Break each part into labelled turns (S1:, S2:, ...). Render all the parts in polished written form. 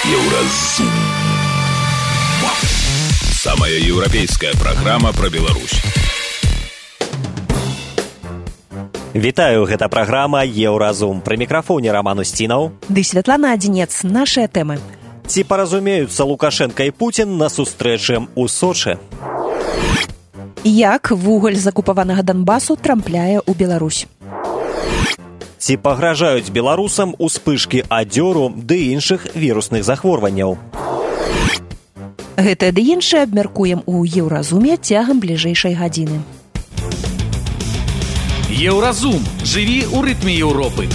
S1: Еўразум. Самая европейская программа про Беларусь.
S2: Вітаю, гэта праграма Еўразум. Пры мікрафоне Роман Устінаў.
S3: Ды Святлана Адзінец. Нашыя тэмы.
S2: Ці паразумеюцца Лукашенко і Путін на сустрэчы ў Сочы?
S3: Як вугаль з акупаванага Донбасу трапляе ў Беларусь?
S2: Ці пагражаюць беларусам успышкі адзёру ды іншых вірусных захворванняў?
S3: Гэтае ды іншае абмяркуем у Еўразуме цягам бліжэйшай гадзіны.
S4: Еўразум. Жыві ў рытме Еўропы.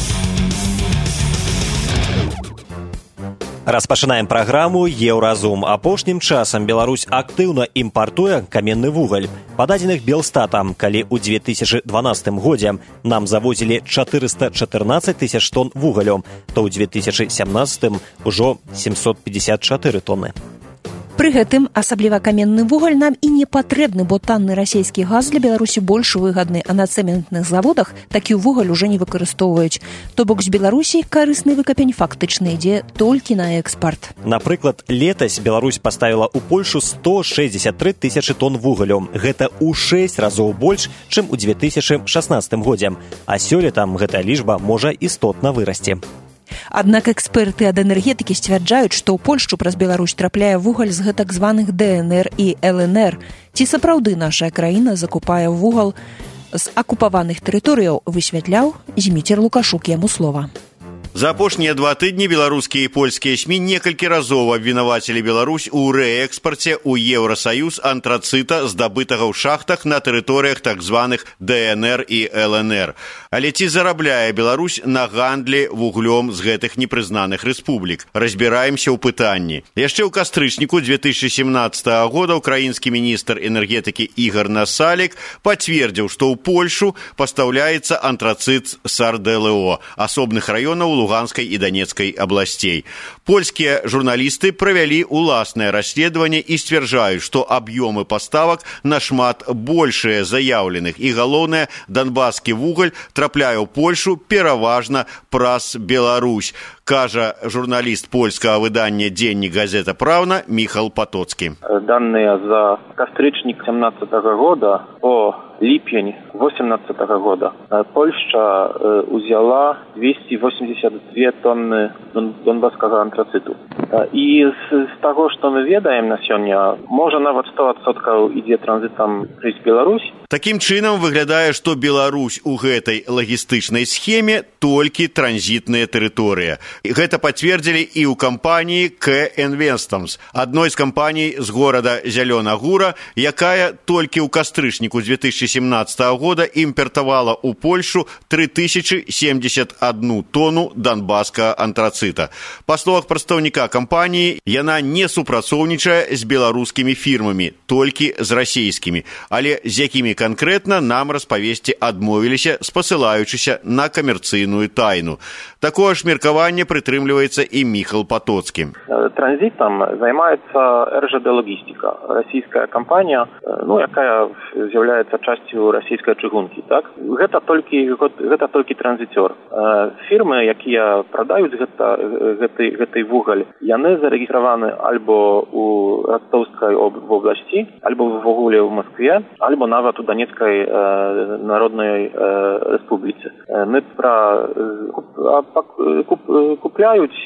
S2: Распачынаем праграму Еўразум. Апошнім часам Беларусь актыўна імпартуе каменны вугаль. Па дадзеных Белстатам, калі ў 2012 годзе нам завозілі 414 тысяч тонн вугалю, то ў 2017 ўжо 754 тонны.
S3: Пры гэтым асабліва каменны вугаль нам і не патрэбны, бо танны расійскі газ для Беларусі больш выгадны, а на цэментных заводах такі вугаль уже не выкарыстоўваюць. То бок з Беларусі карысны выкапень фактычна ідзе толькі на экспарт.
S2: Напрыклад, летась Беларусь паставіла ў Польшу 163 тысячы тонн вугалю. Гэта ў 6 разоў больш, чым у 2016 годзе. А сёлета гэтая лічба можа істотна вырасці.
S3: Аднак эксперты ад энергетыкі сцвярджаюць, што ў Польшчу праз Беларусь трапляе вугаль з гэтак званых ДНР і ЛНР. Ці сапраўды наша краіна закупае вугал з акупаваных тэрыторыяў, высвятляў Зміцер Лукашук, яму слова.
S5: За апошнія 2 тыдні беларускія і польскія СМІ некалькі разоў абвінавацілі Беларусь у рээкспарце ў Еўрасаюз антрацыта, здабытага ў шахтах на тэрыторыях так званых ДНР і ЛНР. Але ці зарабляе Беларусь на гандлі вуглём з гэтых непрызнаных рэспублік? Разбіраемся ў пытанні. Яшчэ ў кастрычніку 2017 года украінскі міністр энергетыкі Ігор Насалік пацвердзіў, што ў Польшу пастаўляецца антрацыт з РДЛО, асобных раёнаў Луганскай і Донецкай абласцей. Польскія журналісты правялі уласнае расследаванне і сцвярджаюць, што аб'ёмы паставак нашмат большыя заяўленых. І галоўнае, донбаскі вугаль трапляе ў Польшу пераважна праз Беларусь, кажа журналіст польскага выдання «Дзеннік газета Праўна» Міхал Патоцкі.
S6: Данные за кастрычнік 2017 года по липень 2018 года Польша узяла 282 тонны донбасскага антрациту. І з таго, што мы ведаем на сёння, можа нават 100% ідзе транзітам праз Беларусь.
S5: Такім чынам выглядае, што Беларусь у гэтай лагістычнай схеме толькі транзітная тэрыторыя. Гэта пацвердзілі і ў кампаніі К-Інвестамс, адной з кампаній з горада Зялёна Гура, якая толькі ў кастрычніку 2017 года імпартавала ў Польшу 3071 тону донбасскага антрацыта. Па словах прадстаўніка кампаніі, яна не супрацоўнічае з беларускімі фірмамі, толькі з расійскімі, але з якімі канкрэтна нам распавесці адмовіліся, спасылаючыся на камерцыйную тайну. Такое ж меркаванне прытрымліваецца і Міхал Патоцкі.
S6: Транзітам займаецца РЖД Логістика, расійская кампанія, якая з'яўляецца часцю расійскай чыгункі, так? Гэта толькі транзітёр. Фірмы, якія прадаюць гэты вугаль, яны зарэгістраваны альбо у Ростовскай вобласці, альбо в Вогуле в Москве, альбо нават у Донецкай народнай рэспубліцы. Мы купляюць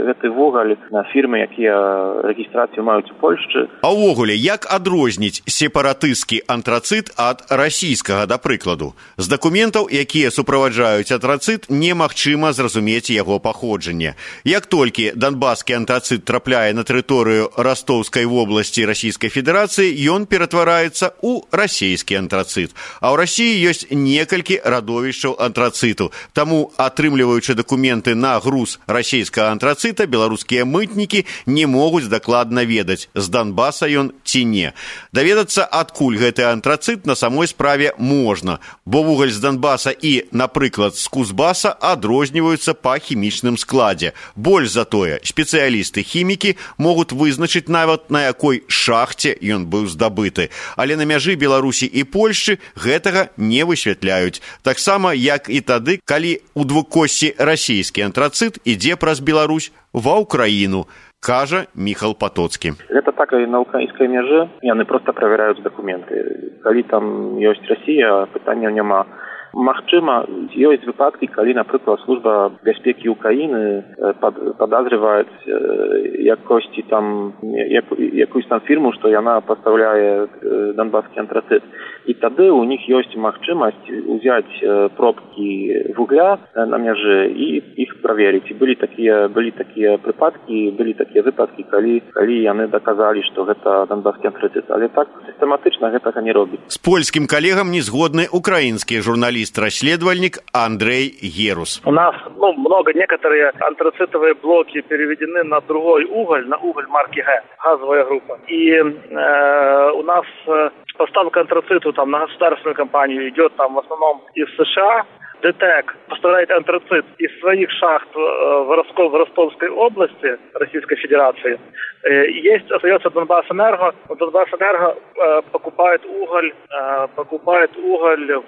S6: гэты вугаль на фірмы, якія рэгістрацыю маюць у Польшчы.
S5: А ўвогуле, як адрозніць сепаратысцкі антрацыт ад расійскага, да прыкладу? З дакументаў, якія суправаджаюць антрацыт, немагчыма зразумець яго паходжанне. Як толькі донбаскі антрацыт трапляе на тэрыторыю Ростовскай вобласці Расійскай Федэрацыі, ён ператвараецца ў расійскі антрацыт. А ў Расіі ёсць некалькі радовішчаў антрацыту. Таму, атрымліваючы дакументы на груз расійскага антрацыта, беларускія мытнікі не могуць дакладна ведаць, з Донбаса ён ці не. Даведацца, адкуль гэты антрацыт на самой справе можна, бо вугаль з Донбаса і, напрыклад, з Кузбаса адрозніваюцца па хімічным складзе. Больш за тое, спецыялісты-хімікі могуць вызначыць нават, на якой шахце ён быў здабыты. Але на мяжы Беларусі і Польшчы гэтага не высвятляюць. Таксама, як і тады, калі ў косці расійскі антрацыт ідзе праз Беларусь ва Ўкраіну, кажа Міхал Патоцкі.
S6: Гэта так і на украінскай мяжы, яны проста правяраюць дакументы. Калі там ёсць Расія, пытанняў няма. Магчыма, ёсць выпадкі, калі, напрыклад, служба бяспекі Украіны падазрываюць якосьці там якусь там фірму, што яна пастаўляе донбаскі антрацыт. І тады у них ёсць магчымасць узяць пробкі вугля на мяжы і іх праверыць. І былі такія выпадкі, калі яны даказалі, што гэта донбаскі антрацыт. Але так сістэматычна гэтага не робіць.
S5: З польскім калегам не згодны украінскі журналист-расследовальник Андрей Герус.
S7: У нас много некоторые антрацитовые блоки переведены на другой уголь, на уголь марки Г, газовая группа. И у нас поставка антрациту там на государственную компанию идет там в основном из США. ДТЭК поставляет антрацит из своих шахт в Ростовской области Российской Федерации. Остается Донбассэнерго. Донбассэнерго покупает уголь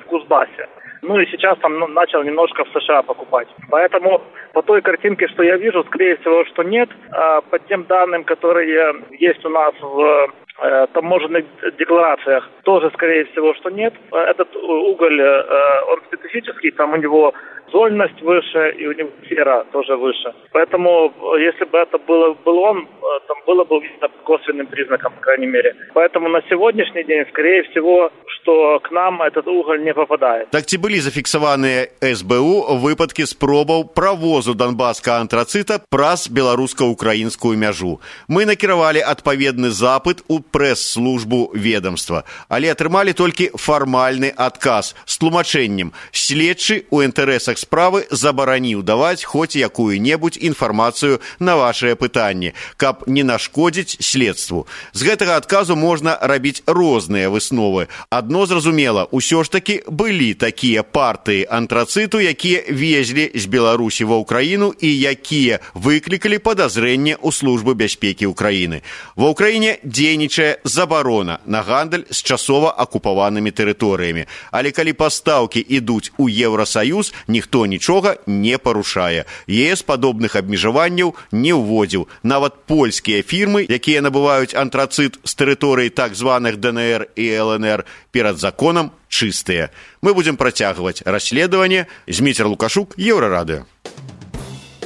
S7: в Кузбассе. Ну и сейчас там начал немножко в США покупать. Поэтому по той картинке, что я вижу, скорее всего, что нет. По тем данным, которые есть у нас в таможенных декларациях, тоже, скорее всего, что нет. Этот уголь, он специфический, там у него зольность выше, и у него сфера тоже выше. Поэтому, если бы это был он, там было бы видно косвенным признаком, по крайней мере. Поэтому на сегодняшний день, скорее всего, что к нам этот уголь не попадает.
S5: Так ці былі зафіксаваныя СБУ выпадкі спробаў правозу донбасскага антрацыта праз беларуска-украінскую мяжу. Мы накіравалі адпаведны запыт у прэс-службу ведомства, але атрымалі толькі фармальны адказ з тлумачэннем. Следчы ў інтарэсах справы забараніў даваць хоць якую-небудзь інфармацыю на вашыя пытанні, каб не нашкодзіць следству. З гэтага адказу можна рабіць розныя высновы. Адно зразумела, усё ж такі былі такія партыі антрацыту, якія везлі з Беларусі ва Ўкраіну і якія выклікалі падазрэнне ў службы бяспекі Ўкраіны. Ва Ўкраіне дзейнічае забарона на гандаль з часова акупаванымі тэрыторыямі. Але калі пастаўкі ідуць у Еўрасаюз, ніхто нічога не парушае. ЕС падобных абмежаванняў не ўводзіў. Нават польскія фірмы, якія набываюць антрацыт з тэрыторыі так званых ДНР і ЛНР, перад законам чыстыя. Мы будзем працягваць расследаванне. Зміцер Лукашук, Еўрарадыё.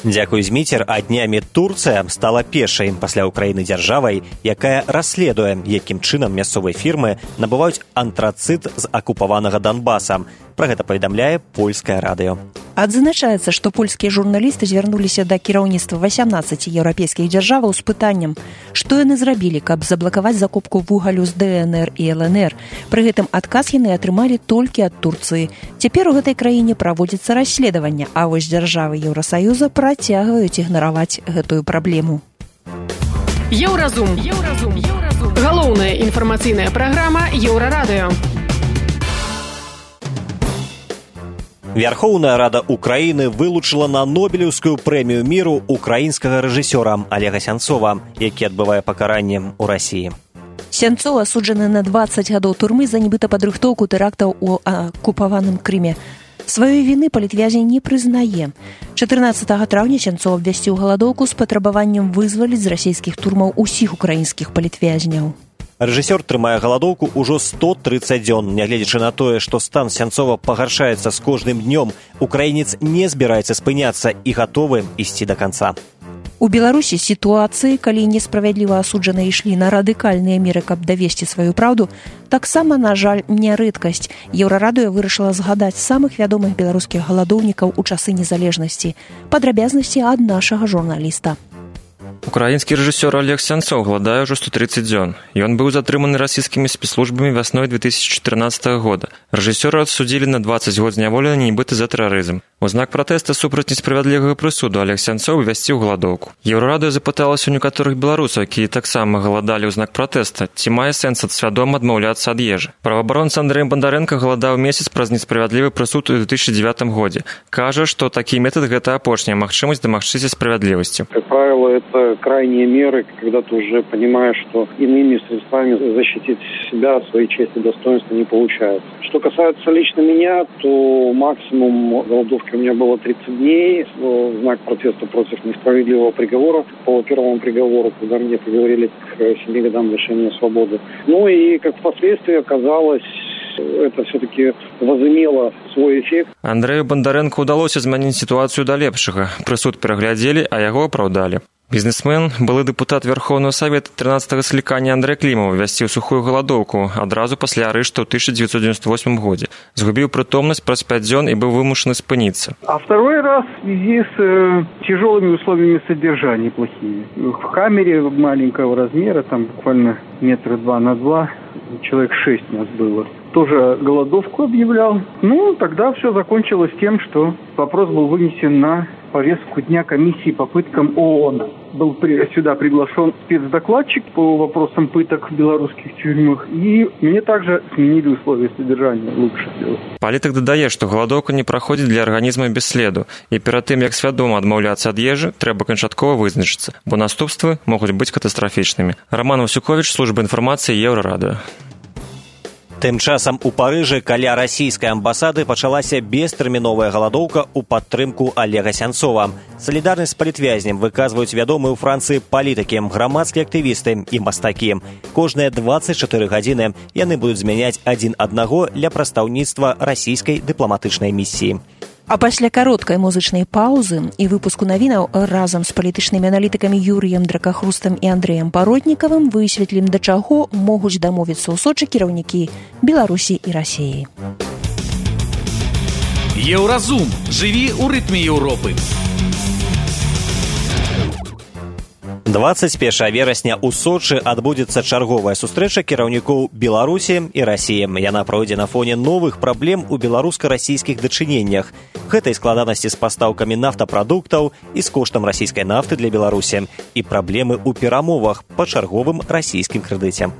S2: Дзякуй, Зміцер. А днямі Турцыя стала першай пасля Украіны дзяржавай, якая расследуе, якім чынам мясцовыя фірмы набываюць антрацыт з акупаванага Донбаса. Пра гэта паведамляе польскае радыё.
S3: Адзначаецца, што польскія журналісты звярнуліся да кіраўніцтва 18 еўрапейскіх дзяржаваў з пытаннем, што яны зрабілі, каб заблакаваць закупку вугалю з ДНР і ЛНР. Пры гэтым адказ яны атрымалі толькі ад Турцыі. Цяпер у гэтай краіне праводзіцца расследаванне, а вось дзяржавы Еўрасаюза працягваюць ігнараваць гэтую праблему.
S8: Еўразум. Галоўная інфармацыйная праграма Еўрарадыё.
S2: Верховная Рада Украіны вылучыла на Нобелеўскую прэмію міру украінскага рэжысёра Олега Сянцова, які адбывае пакаранне ў Расіі.
S3: Сянцов асуджаны на 20 гадоў турмы за нібыта падрыхтоўку тэрактаў у акупаваным Крыме. Сваёй віны палітвязень не прызнае. 14 траўня Сянцов абвясціў галадоўку з патрабаваннем вызваліць з расійскіх турмаў усіх украінскіх палітвязняў.
S2: Рэжысёр трымае галадоўку ўжо 130 дзён. Нягледзячы на тое, што стан Сянцова пагаршаецца з кожным днём, украінец не збіраецца спыняцца і гатовы ісці да канца.
S3: У Беларусі сітуацыі, калі несправядліва асуджаныя ішлі на радыкальныя меры, каб давесці сваю праўду, таксама, на жаль, не рэдкасць. Еўрарадыё вырашыла згадаць самых вядомых беларускіх галадоўнікаў у часы незалежнасці. Падрабязнасці ад нашага журналіста.
S9: Украінскі рэжысёр Олег Сянцов гладае ўжо 130 дзён. Ён быў затрыманы расійскімі спецслужбамі вясной 2014 года. Рэжысёра адсудзілі на 20 год зняволення нібыта за тэрарызм. У знак пратэста супраць несправядлівага прысуду Олег Сянцов абвясціў галадоўку. Еўрарадыё запыталася ў некаторых беларусаў, якія таксама галадалі ў знак пратэста, ці мае сэнс свядома адмаўляцца ад ежы. Праваабаронца Андрэй Бандарэнка галадаў месяц праз несправядлівы прысуд у 2009 годзе. Кажа, што такі метад гэта апошняя магчымасць дамагчыся справядлівасці.
S10: Как правило, это крайние меры, когда ты уже понимаешь, что иными средствами защитить себя, свои честь и достоинства не получается. Что касается лично меня, то максимум голодовки у меня было 30 дней в знак протеста против несправедливого приговора по первому приговору, когда мне приговорили к 7 годам лишения свободы. Ну и, как впоследствии оказалось, это все-таки возымело свой эффект.
S9: Андрею Бондаренко удалося змяніць сітуацыю да лепшага. Прысуд пераглядзелі, а яго апраўдалі. Бізнесмен, былы дэпутат Верховного Совета 13-го склікання Андрэй Клімаў ввясціў сухую галадоўку адразу пасля арышту ў 1998 годзе. Згубіў прытомнасць праз 5 дзён і быў вымушаны спыніцца.
S11: А второй раз в связи с тяжелыми условиями содержания плохими. В камере маленького размера, там буквально метра 2 на 2, человек 6 нас было. Тоже голодовку объявлял. Ну, тогда все закончилось тем, что вопрос был вынесен на повестку дня комиссии по пыткам ООН. Был сюда приглашен спецдокладчик по вопросам пыток в белорусских тюрьмах, и мне также сменили условия содержания лучше сделать.
S9: Палітык дадае, што галадоўка не праходзіць для арганізма без следу, і перад тым, як свядома адмаўляцца ад ежы, трэба канчаткова вызначыцца, бо наступствы могуць быць катастрафічнымі. Роман Васюкович, служба інфармацыі, Еўрарадыё.
S2: Тым часам у Парыжы каля расійскай амбасады пачалася бестэрміновая галадоўка ў падтрымку Олега Сянцова. Салідарнасць з палітвязнем выказваюць вядомыя ў Францыі палітыкі, грамадскія актывісты і мастакі. Кожныя 24 гадзіны яны будуць змяняць адзін аднаго для прадстаўніцтва расійскай дыпламатычнай місіі.
S3: А пасля кароткай музычнай паўзы і выпуску навінаў разам з палітычнымі аналітыкамі Юрыем Дракахрустам і Андрэем Паротнікавым высветлім, да чаго могуць дамовіцца ў Сочы кіраўнікі Беларусі і Расіі.
S4: Еўразум. Жыві ў рытме Еўропы.
S2: 21 верасня ў Сочы адбудзецца чарговая сустрэча кіраўнікоў Беларусі і Расіі. Яна пройдзе на фоне новых праблем у беларуска-расійскіх дачыненнях. Гэтай складанасці з пастаўкамі нафтапрадуктаў і з коштам расійскай нафты для Беларусі і праблемы ў перамовах па чарговым расійскім крэдыце.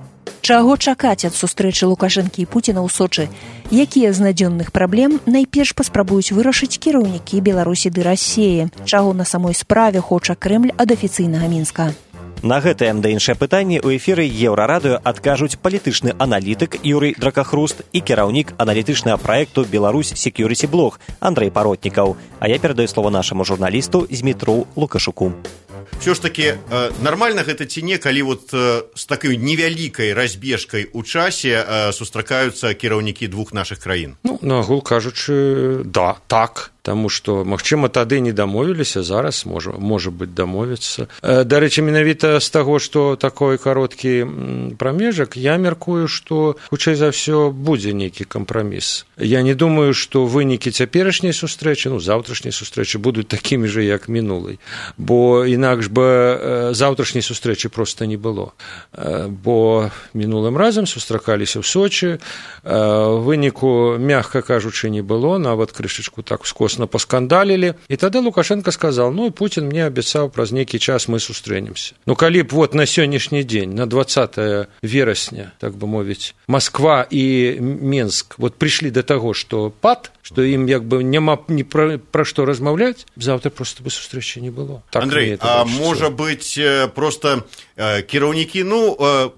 S3: Чаго чакаць ад сустрэчы Лукашэнкі і Пуціна ў Сочы? Якія з надзённых праблем найперш паспрабуюць вырашыць кіраўнікі Беларусі ды Расіі? Чаго на самой справе хоча Крэмль ад афіцыйнага Мінска?
S2: На гэтае да іншае пытанне ў эфіры Еўрарадыё адкажуць палітычны аналітык Юрый Дракахруст і кіраўнік аналітычнага праекту «Беларусь Security Blog» Андрэй Паротнікаў. А я перадаю слово нашаму журналісту Змітру Лукашуку.
S5: Все ж таки нормально гэта ці не, калі вот з такой невялікай разбежкай у часе сустракаюцца кіраўнікі двух нашых краін?
S12: Ну, на агул кажучы, да, так. Таму што, магчыма, тады не дамовіліся, зараз можа быць дамовіцца. Дарэчы, менавіта з таго, што такой кароткі прамежак, я мяркую, што хутчэй за ўсё будзе нейкі кампраміс. Я не думаю, што вынікі цяперашняй сустрэчы, заўтрашняй сустрэчы будуць такімі ж, як мінулай. Бо інакш бы заўтрашняй сустрэчы проста не было. Бо мінулым разам сустракаліся ў Сочы, выніку, мягка кажучы, не было, нават крышачку так скоса паскандалілі, і тады Лукашенко сказал, ну і Путин мне абяцаў, праз нейкі час мы сустрэнемся. Ну калі б вот на сённяшні дзень, на 20 верасня, так бы мовіць, Москва і Менск вот прыйшлі да таго, што пад, што ім як бы няма ні пра што размаўляць, заўтра просто бы сустрэчы не было. Так,
S5: Андрей, а можа быць просто кіраўнікі,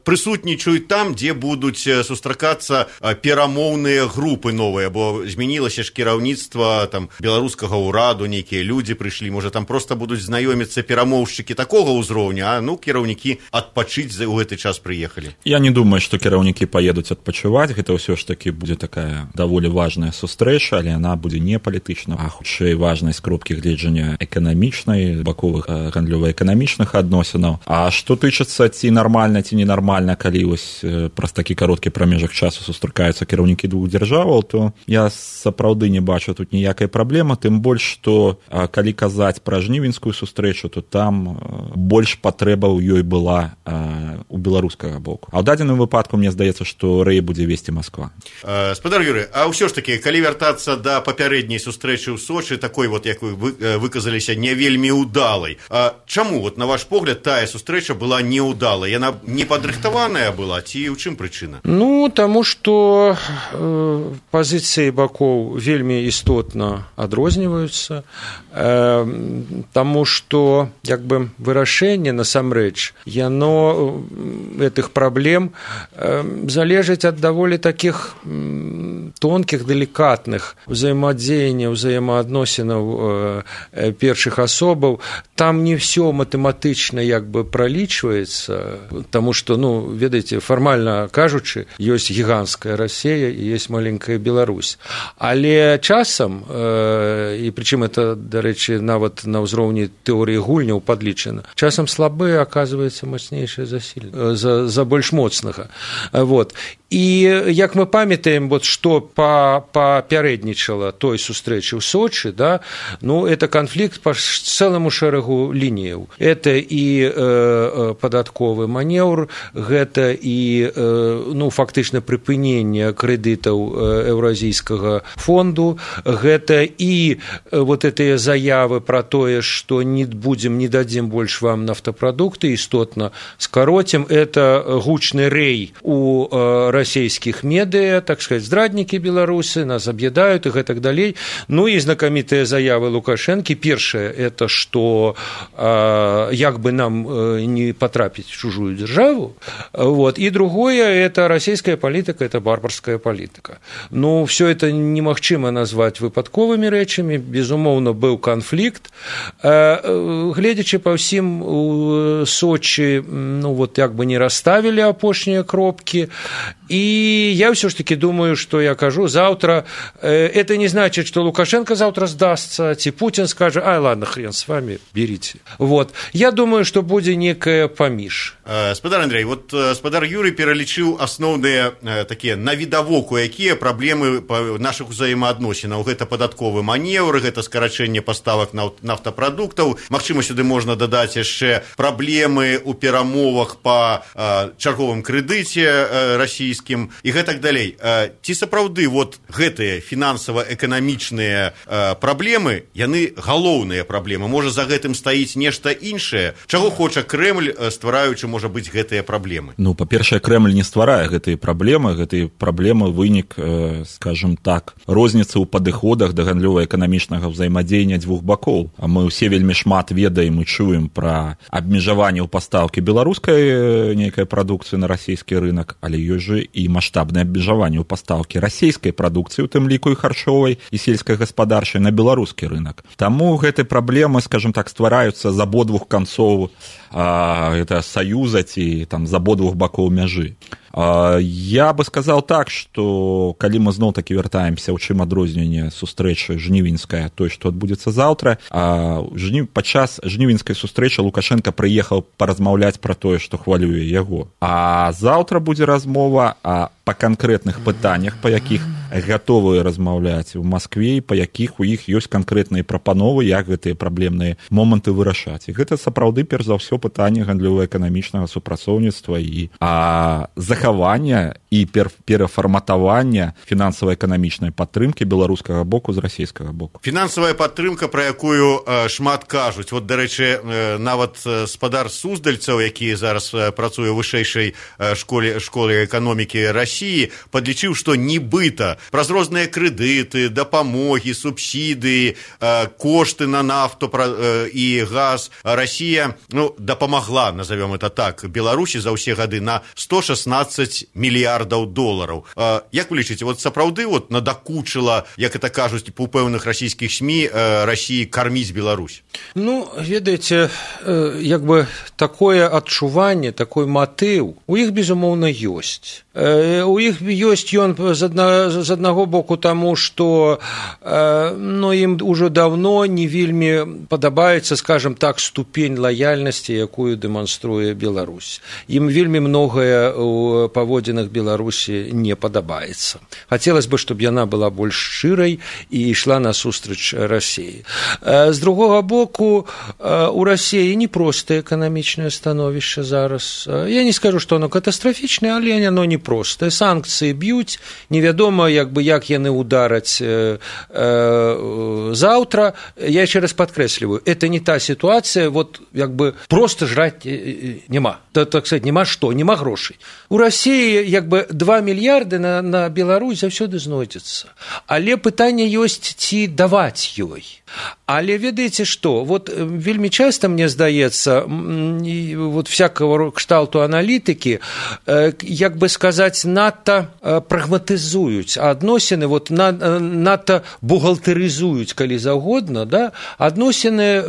S5: прысутнічаюць там, дзе будуць сустракацца перамоўныя групы новыя, бо змянілася ж кіраўніцтва там беларускага ўраду, нейкія людзі прыйшлі, можа там проста будуць знаёміцца перамоўшчыкі такога ўзроўня, а кіраўнікі адпачыць у гэты час прыехалі.
S13: Я не думаю, што кіраўнікі паедуць адпачываць, гэта ўсё ж такі будзе такая даволі важная сустрэча, але яна будзе не палітычна, а хутчэй важнай з кропкі гледжання эканамічнай, баковых гандлёва-эканамічных адносінаў. А што тычыцца ці нармальна, ці ненармальна, калі вось праз такі кароткі прамежак часу сустракаюцца кіраўнікі двух дзяржаваў, то я сапраўды не бачу тут ніякай праблемы, тым больш, што калі казаць пра жнівеньскую сустрэчу, то там больш патрэба ў ёй была у беларускага боку. А ў дадзеным выпадку мне здаецца, што рэй будзе весці Москва.
S5: Спадар Юрый, а ўсё ж такі, калі вяртацца вярнуцца да папярэдняй сустрэчы ў Сочы, такой вот, як вы выказаліся, не вельмі ўдалай. Чаму, вот, на ваш погляд, тая сустрэча была неўдалай? Яна не падрыхтаваная была, ці ў чым прычына?
S12: Ну, таму што пазіцыі бакоў вельмі істотна адрозніваюцца, таму што, як бы, вырашэнне, насамрэч, яно гэтых праблем залежыць ад даволі такіх тонкіх, делікатных взаимодзеянняў, взаимоадносінаў першых асобаў. Там не все матэматычна як бы пралічваецца, таму што, ну, ведаеце, фармальна кажучы, ёсць гіганцкая Расія і ёсць маленькая Беларусь. Але часам, і прычым это, дарэчы, нават на ўзроўні тэорыі гульняў падлічана, часам слабыя аказваецца мацнейшае за больш моцнага. Вот. І як мы памятаем, вот, што папярэднічала той сустрэчы ў Сочы, да, ну, это канфлікт па цэламу шэрагу лініяў. Это і падатковы манеўр, гэта і, ну, фактычна прыпыненне крэдытаў Еўразійскага фонду, гэта і вот гэтыя заявы пра тое, што не будзем, не дадзім больш вам нафтапрадукты, істотна скароцім, это гучны рэй у расійскіх медыа, так сказать, здраднікі беларусы, нас аб'ядаюць і гэтак далей. Ну і знакамітыя заявы Лукашэнкі. Першае, это што як бы нам не потрапіць в чужую державу. Вот. И другое, это российская политика, это барбарская политика. Ну, все это немагчыма назвать выпадковыми рэчамі. Безумоўна, быў канфлікт. Гледзячы па ўсім, у Сочи, ну, вот як бы не расставили апошнія кропки. И я все-таки думаю, что я кажу, завтра, это не значит, что Лукашенко завтра сдастся, ці Путин скажет, ай, ладно, хрен с вами, берите. Вот. Я думаю, что будзе некая паміж.
S5: Спадар Андрей, вот спадар Юрий пералічыў асноўныя такія навідавоку, якія праблемы нашых узаемаадносінаў. Гэта падатковы манеўр, гэта скарачэнне паставак нафтапрадуктаў. Магчыма, сюды можна дадаць яшчэ праблемы ў перамовах па чарговым крэдыце расійскім і гэтак далей. Ці сапраўды вот гэтыя фінансава-эканамічныя праблемы, яны галоўныя праблемы? Можа, за гэтым стаіць нешта іншае? Чаго хоча Крэмль, ствараючы, можа быць, гэтыя праблемы?
S13: Ну, па-першае, Крэмль не стварае гэтыя праблемы вынік, скажем так, розніцы ў падыходах да гандлёва-эканамічнага ўзаемадзеяння дзвюх бакоў. А мы ўсе вельмі шмат ведаем і чуем пра абмежаванне ў пастаўкі беларускай нейкай прадукцыі на расійскі рынок, але ёсць жа і маштабнае абмежаванне ў пастаўкі расійскай прадукцыі, у тым ліку і харчовай, і сельскай гаспадарчай на беларускі рынок. Таму гэтыя праблемы, скажем так, ствараюцца з абодвух канцоў гэта саюза ці там з абодвух бакоў мяжы. Я бы сказал так, что калі мы зноў-такі вяртаемся, у чым адрозненне сустрэчы жнівеньская, той, што адбудзецца заўтра, падчас жнівеньскай сустрэчы Лукашенко прыехаў паразмаўляць пра тое, што хвалюе яго. А заўтра будзе размова па канкрэтных пытаннях, па якіх гатовыя размаўляць у Маскве, па якіх у іх ёсць канкрэтныя прапановы, як гэтыя праблемныя моманты вырашаць. І гэта сапраўды, перш за ўсё, пытанне гандлёва-эканамічнага супрацоўніцтва і захавання і перафарматавання фінансава-эканамічнай падтрымкі беларускага боку з расійскага боку.
S5: Фінансавая падтрымка, пра якую шмат кажуць. Вот, дарэчы, нават спадар Суздальцаў, які зараз працуе ў вышэйшай школе эканомікі Расіі, падлічыў, што нібыта праз розныя крэдыты, дапамогі, субсідыі, кошты на нафту і газ Расія, ну, дапамагла, назовем это так, Беларусі за ўсе гады на 116 мільярдаў долараў. Як вы лічыце, вот сапраўды вот надакучыла, як это кажуць у пэўных расійскіх СМІ, Расіі карміць Беларусь?
S12: Ну, ведаеце, як бы такое адчуванне, такой матыў у іх, безумоўна, ёсць. У іх ёсць ён з аднаго боку таму, што ну, ім ужо даўно не вельмі падабаецца, скажем так, ступень лаяльнасці, якую дэманструе Беларусь. Ім вельмі многае ў паводзінах Беларусі не падабаецца. Хацелось бы, чтобы яна была больш шчырай і ішла насустрач Расіі. З другога боку, у Расіі непростае эканамічнае становішча зараз. Я не скажу, што оно катастрафічнае, але оно непростае. Санкцыі б'юць, невядома, як яны удараць заўтра, я яшчэ раз падкрэсліваю, это не та сітуацыя, просто жраць няма. Так сказать, няма што, няма грошай. У Расіі 2 мільярды на Беларусь заўсёды знойдзецца. Але пытанне ёсць, ці даваць ёй. Але ведаеце што, вельмі часта, мне здаецца, всякого кшталту аналітыкі, як бы сказаць, надта прагматызуюць адносіны, надта бухгалтарызуюць, калі заўгодна, адносіны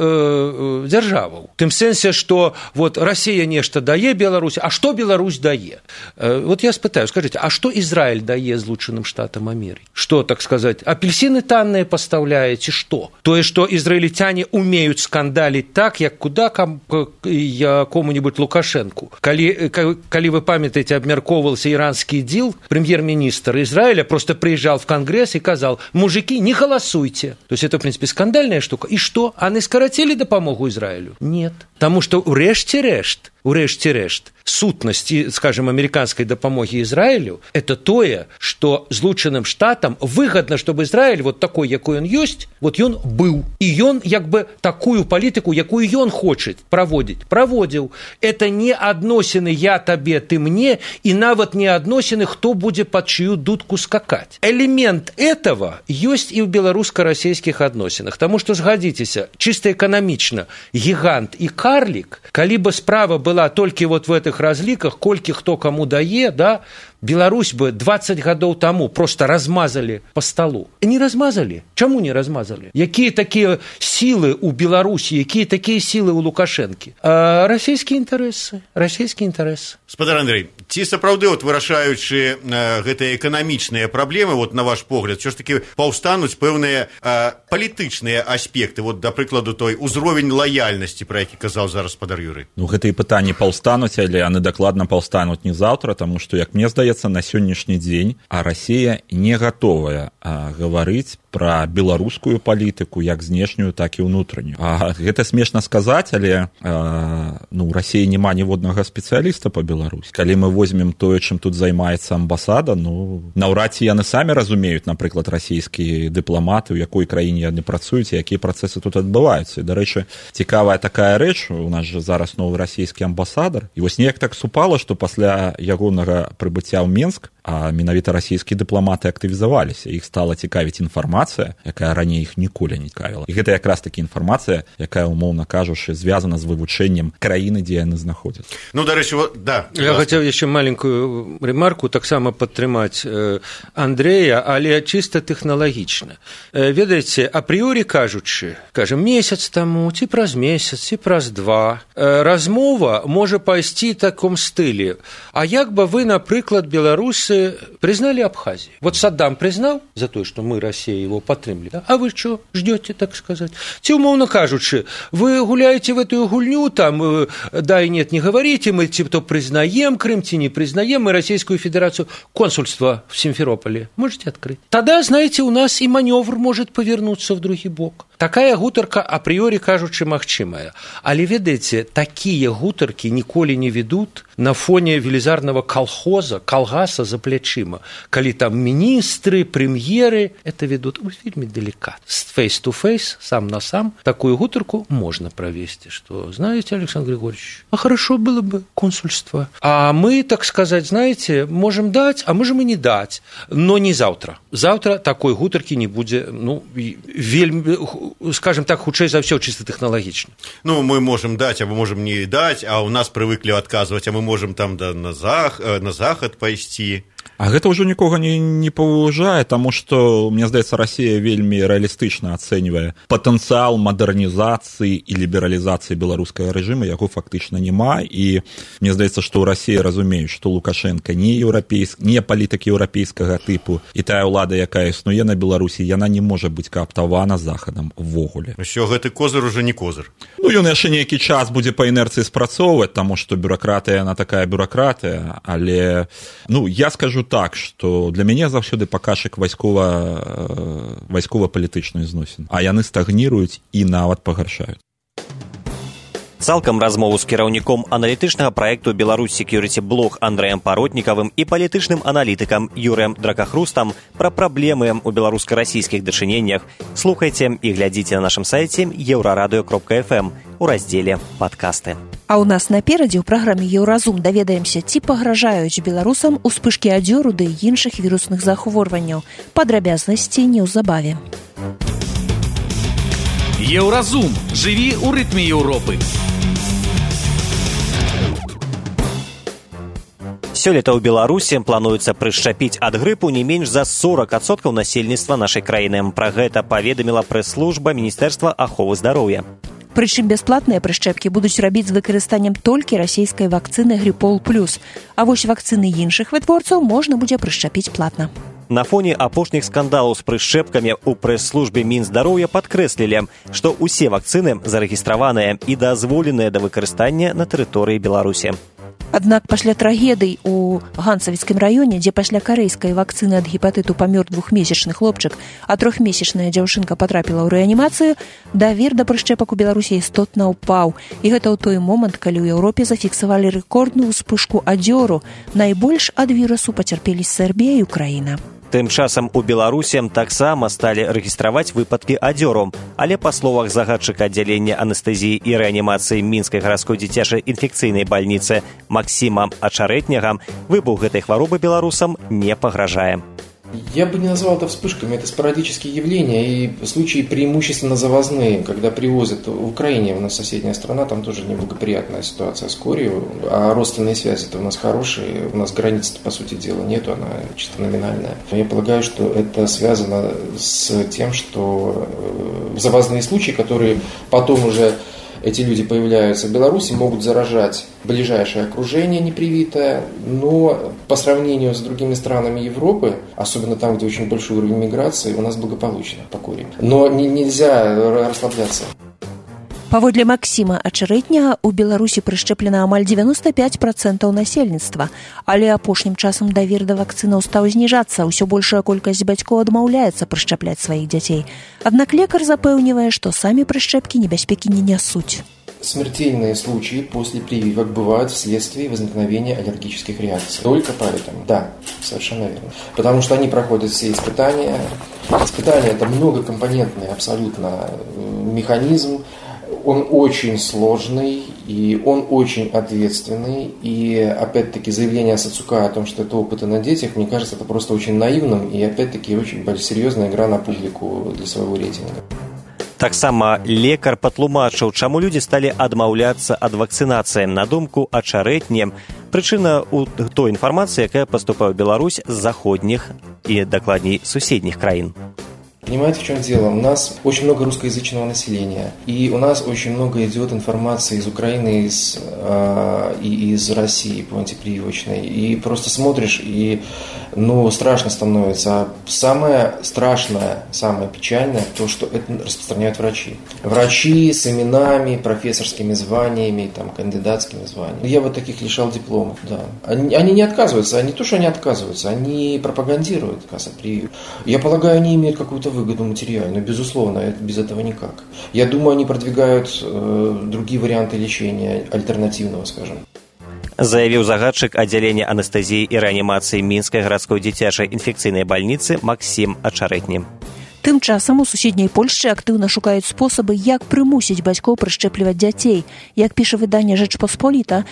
S12: дзяржаваў. Тым сэнсе, што Расія нешта дае Беларусь, а што Беларусь дае? Я спытаю, скажите, а што Ізраіль дае Злучаным Штатам Амерыкі? Што, так сказаць, апельсіны танныя пастаўляе, ці што? Тое, што ізраільцяне умеюць скандаліць так, як куда кому-нибудь Лукашенку. Калі вы памятаеце, абмяркоўваўся іранскі дзіл, прэм'ер-міністр Израиля просто приезжал в Конгресс и сказал: мужики, не голосуйте. То есть это, в принципе, скандальная штука. И что? Они скоротили допомогу Израилю? Нет. Потому что урэшце-рэшт, сутнасць, скажем, американской дапамогі Израилю – это тое, что Злучаным Штатам выгодно, чтобы Израиль такой, якой он есть, ён быў. И он такую политику, якую ён хочет проводил. Это не адносіны я табе, ты мне, и нават не адносіны, кто будет под чью дудку скакать. Элемент этого есть и в белорусско-российских адносінах. Потому что, згадзіцеся, чисто экономично, гигант и карлик, калі бы справа была только в этих разликах, колькі кто кому дае, Беларусь бы 20 гадоў тому просто размазали по столу. Не размазали. Чему не размазали? Какие такие силы у Беларуси, какие такие силы у Лукашенки? Российские интересы.
S5: Спадар Андрей, ці сапраўды, вырашаючы гэтыя эканамічныя праблемы, на ваш погляд, все ж таки паўстануць пэўныя палітычныя аспекты, да прыкладу той узровень лаяльнасці, про які казаў зараз спадар Юрый?
S13: Гэтыя пытанні паўстануць, але яны дакладна паўстануць не заўтра, таму што, як мне здаецца, на сённяшні дзень Расія не гатовая гаварыць пра беларускую палітыку як знешнюю, так і ўнутраннюю. Гэта смешна сказаць, але у Расіі няма ніводнага спецыяліста па Беларусі. Калі мы возьмем тое, чым тут займаецца амбасада, наўрад ці яны самі разумеюць, напрыклад, расійскія дыпламаты, у якой краіне яны працуюць і якія працэсы тут адбываюцца. І, дарэчы, цікавая такая рэч, у нас жа зараз новы расійскі амбасадар, і неяк так супала, што пасля ягонага прыбыцця ў Менск, менавіта расійскія дыпламаты актывізаваліся, іх стала цікавіць інфармацыя, якая раней іх ніколі не цікавіла. І гэта якраз таки інфармацыя, якая, умоўна кажучы, звязана з вывучэннем краіны, дзе яны знаходзяцца.
S5: Дарэчы,
S12: я хотел еще маленькую ремарку таксама падтрымаць Андрея, але чисто тэхналагічна. Ведаеце, апрыёрі кажучы, месяц таму, ці праз месяц, ці праз 2, размова можа пайсці в таком стылі. А як бы вы, напрыклад, беларусы признали Абхазию? Саддам признал за то, что мы, Россия, его подтримали. А вы что ждете, так сказать? Ці, умовно кажучи, вы гуляете в эту гульню, там, да и нет, не говорите, мы то признаем Крым, ті не признаем, мы Российскую Федерацию, консульство в Симферополе можете открыть. Тогда, знаете, у нас и маневр может повернуться в другой бок. Такая гутарка апрыёрі кажучы магчымая. Але ведаеце, такія гутаркі ніколі не ведут на фоне велізарнага калгаса за плячыма. Калі там міністры, прэм'еры, это ведут вельмі деликатно. Face-to-face, сам на сам, такую гутарку можно провести, что, знаете, Александр Григорьевич, а хорошо было бы консульство. А мы, так сказать, знаете, можем дать, а можем и не дать, но не завтра. Завтра такой гутаркі не будзе, вельмі, скажем так, хутчэй за ўсё чисто тэхналагічна.
S5: Мы можем дать, а мы можем не дать, а у нас привыкли отказывать, а мы можем там на захад пайсці.
S13: А гэта ўжо нікога не паважае, таму што, мне здаецца, Расія вельмі рэалістычна ацэньвае патэнцыял мадэрнізацыі і лібералізацыі беларускага рэжыма, яго фактычна няма, і мне здаецца, што ў Расіі разумеюць, што Лукашенко не палітык еўрапейскага тыпу, і тая ўлада, якая існуе на Беларусі, яна не можа быць кааптавана захадам увогуле.
S5: Усё гэты козыр уже не козыр.
S13: Ён яшчэ нейкі час будзе па інерцыі спрацоўваць, таму што бюракратыя, яна такая бюракратыя, але, я скажу так, што для мяне заўсёды паказчык вайскова-палітычных зносін, а яны стагніруюць і нават пагаршаюць.
S2: Цалкам размову з кіраўніком аналітычнага праекту «Беларусь Security Blog» Андрэем Паротнікавым і палітычным аналітыкам Юрыем Дракахрустам пра праблемы ў беларуска-расійскіх дачыненнях слухайце і глядзіце на нашым сайце euraradio.fm у раздзеле «Падкасты».
S3: А ў нас наперадзе ў праграме «Еўразум» даведаемся, ці пагражаюць беларусам успышкі адзёру ды іншых вірусных захворванняў. Падрабязнасці неўзабаве.
S4: Еўразум. Жыві ў рытме Еўропы.
S2: Сёлета ў Беларусі плануецца прышчапіць ад грыпу не менш за 40% насельніцтва нашай краіны. Пра гэта паведаміла прэс-служба Міністэрства аховы здароўя.
S3: Прычым бясплатныя прышчэпкі будуць рабіць з выкарыстаннем толькі расійскай вакцыны «Гриппол+». А вось вакцыны іншых вытворцаў можна будзе прышчапіць платна.
S2: На фоне апошніх скандалаў з прышчэпкамі ў прэс-службе Мінздароўя падкрэслілі, што ўсе вакцыны зарэгістраваныя і дазволеныя да выкарыстання на тэрыторыі Беларусі.
S3: Аднак пасля трагедый у Ганцавіцкім раёне, дзе пасля карэйскай вакцыны ад гепатыту памёр 2-месячны хлопчык, а 3-месячная дзяўчынка патрапіла ў рэанімацыю, давер да прышчэпак у Беларусі істотна ўпаў. І гэта ў той момант, калі ў Еўропе зафіксавалі рэкордную ўспышку адзёру. Найбольш ад вірусу пацярпелі Сербія і Украіна.
S2: Тым часам у Беларусі таксама сталі рэгістраваць выпадкі адзёру, але па словах загадчыка аддзялення анестэзіі і рэанімацыі Мінскай гарадской дзіцячай інфекцыйнай бальніцы Максіма Ачарэтняга, выбух гэтай хваробы беларусам не пагражае.
S14: Я бы не назвал это вспышками, это спорадические явления и случаи преимущественно завозные, когда привозят в Украине, у нас соседняя страна, там тоже неблагоприятная ситуация с корью, а родственные связи-то у нас хорошие, у нас границ, по сути дела, нету, она чисто номинальная. Я полагаю, что это связано с тем, что завозные случаи, которые потом уже эти люди появляются в Беларуси, могут заражать ближайшее окружение непривитое, но по сравнению с другими странами Европы, особенно там, где очень большой уровень миграции, у нас благополучно по курению. Но нельзя расслабляться.
S3: Паводле Максіма Ачарэтняга, у Беларусі прышчэплена амаль 95% насельніцтва, але апошнім часам давер да вакцынаў стаў зніжацца, усё большая колькасць бацькоў адмаўляецца прышчапляць сваіх дзяцей. Аднак лекар запэўнівае, што самі прышчэпкі небяспекі не нясуць.
S14: Смертельные случаи после прививок бывают вследствие возникновения аллергических реакций. Только поэтому, да, совершенно верно. Потому что они проходят все испытания. Испытания – это многокомпонентный абсолютно механизм. Он очень сложный, и он очень ответственный. И, опять-таки, заявление Сацука о том, что это опыты на детях, мне кажется, это просто очень наивным и, опять-таки, очень серьезная игра на публику для своего рейтинга.
S2: Таксама лекар патлумачыў, чаму людзі сталі адмаўляцца ад вакцынацыі. На думку Ачарэтні, прычына ў той інфармацыі, якая паступае ў Беларусь з заходніх и, дакладней, суседніх краін.
S14: Понимаете, в чем дело? У нас очень много русскоязычного населения, и у нас очень много идет информации из Украины и из России по антипрививочной. И просто смотришь, и страшно становится. А самое страшное, самое печальное, то, что это распространяют врачи. Врачи с именами, профессорскими званиями, кандидатскими званиями. Я вот таких лишал дипломов, да. Они не отказываются, не то, что они отказываются, они пропагандируют прививку. Я полагаю, они имеют какую-то выгоду материальную, безусловно, без этого никак. Я думаю, они продвигают другие варианты лечения, альтернативного, скажем.
S2: Заявіў загадчык аддзялення анестэзіі і рэанімацыі Мінскай гарадской дзіцячай інфекцыйнай бальніцы Максім Ачарэтні.
S3: Тым часам у суседняй Польшчы актыўна шукаюць спосабы, як прымусіць бацькоў прышчэпліваць дзяцей. Як піша выданне «Rzecz Pospolita»,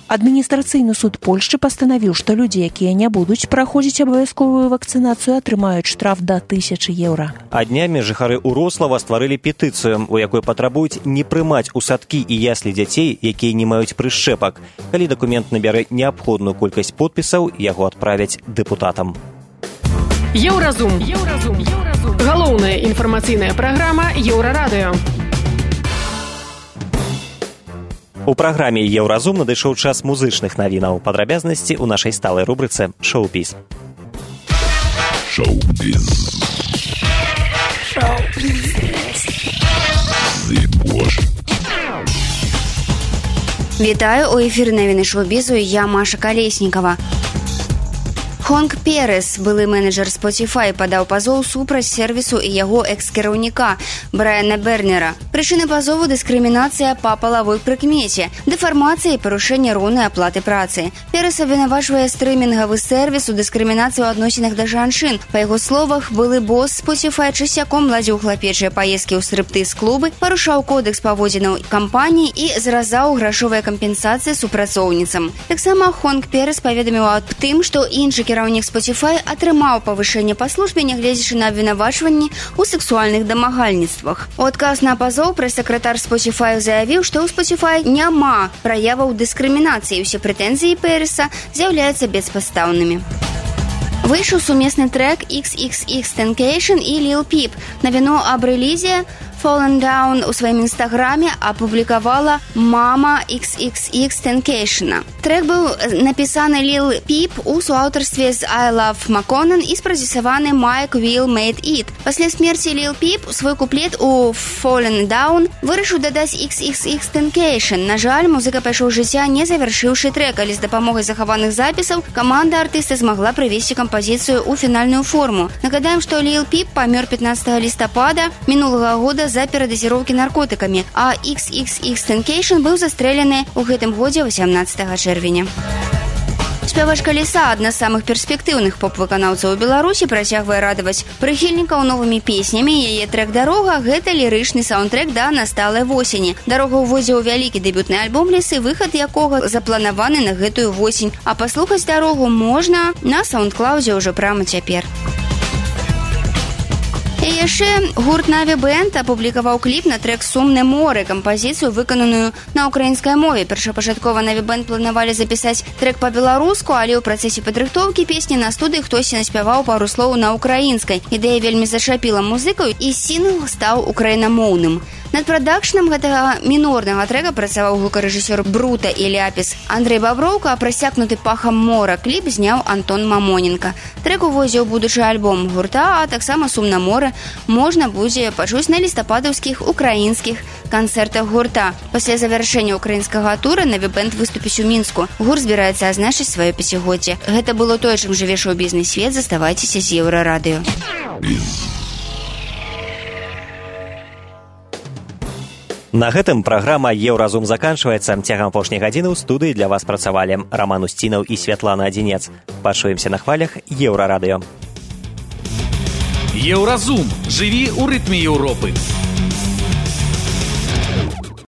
S3: адміністрацыйны суд Польшчы пастанавіў, што людзі, якія не будуць праходзіць абавязковую вакцынацыю, атрымаюць штраф да 1000 еўра.
S2: А днямі жыхары Урослава стварылі петыцыю, у якой патрабуюць не прымаць у садкі і яслі дзяцей, якія не маюць прышчэпак. Калі дакумент набярэ неабходную колькасць подпісаў, яго адправяць дэпутатам.
S8: Еўразум. Галоўная інфармацыйная праграма Еўрарадыё.
S2: У праграме «Еўразум» надышоў час музычных навінаў. Падрабязнасці ў нашай сталай рубрыцы «Шоу-біз».
S15: Вітаю, у эфіры навіны шоу-бізу, я Маша Калеснікова. Хонг Перес, былы менеджер Spotify, падаў пазоў супраць сервісу і яго экс-кіраўніка Брайана Бернера. Прычыны пазову — дыскрымінацыя па палавой прыкмеце, дэфармацыя і парушэнне роўнай аплаты працы. Перес абвінавачвае стрымінгавы сервіс у дыскрымінацыі ў адносінах да жанчын. Па яго словах, былы босс Spotify часцяком ладзіў хлапечыя паездкі ў стриптыз-клубы, парушаў кодекс паводзінаў кампаніі і зразаў грашовыя кампенсацыі супрацоўніцам. Таксама Хонг Перес паведаміў аб тым, што іншы кіраўнік Spotify атрымаў павышэнне па службе, нягледзячы на абвінавачванні ў сексуальных дамагальніцтвах. У адказ на пазоў прэс-сакратар Spotify заявіў, што ў Spotify няма праяваў дыскрымінацыі, усе прэтэнзіі Переса з'яўляюцца беспадстаўнымі. Выйшаў сумесны трек XXXTentacion і Lil Peep. Навіну аб рэлізе Fallen Down у сваім інстаграме апублікавала мама XXXTentacion. Трек быў напісаны Lil Peep у суаўтарстве з I Love Makonnen і спрадзюсаваны Mike Will Made It. Пасля смерці Lil Peep свой куплет у Fallen Down вырашыў дадаць XXXTentacion. На жаль, музыка пайшоў жыцця, не завяршыўшы трек, але з дапамогай захаваных запісаў каманда артыста змагла прывесці кампазіцыю ў фінальную форму. Нагадаем, што Lil Peep памёр 15 лістапада мінулага года за перадазіроўкі наркотыкамі, а XXXTentacion быў застрэлены ў гэтым годзе 18 чэрвеня. Спявачка Ліса, адна з самых перспектыўных поп-выканаўцаў у Беларусі, працягвае радаваць прыхільнікаў новымі песнямі. Яе трэк «Дарога» — гэта лірычны саундтрэк да насталай восені. «Дарога» ўводзіў у вялікі дэбютны альбом Лісы, выхад якога запланаваны на гэтую восень, а паслухаць «Дарогу» можна на саундклаудзе ўжо прямо цяпер. І яшчэ гурт Наві Бэнд апублікаваў кліп на трэк «Сумне море», кампазіцыю, выкананую на украінскай мове. Першапачаткова Наві Бэнд планавалі запісаць трэк па-беларуску, але ў працэсе падрыхтоўкі песні на студыі хтосьці наспяваў пару слоў на украінскай. Ідэя вельмі зашапіла музыкаў, і сінгл стаў украінамоўным. Над прадакшнам гэтага мінорнага трэка працаваў гукарэжысёр Брута і Ляпіс Андрэй Баброўка, а прасякнуты пахам мора кліп зняў Антон Мамоненко. Трэк уводзіў будучы альбом гурта, а таксама «Сумна море» можна будзе пачуць на лістападаўскіх украінскіх канцэртах гурта. Пасля завяршэння украінскага тура Наві Бэнд выступіць у Мінску. Гурт збіраецца адзначыць сваё пяцігоддзе. Гэта было тое, чым жыве шоу-бізнес-свет. Заставайцеся з Еўрарадыё.
S2: На гэтым праграма «Еўразум» заканчваецца. Цягам апошняй гадзіны ў студыі для вас працавалі Раман Усцінаў і Святлана Адзінец. Пачуемся на хвалях Еўрарадыё.
S4: Еўразум. Жыві ў рытме Еўропы.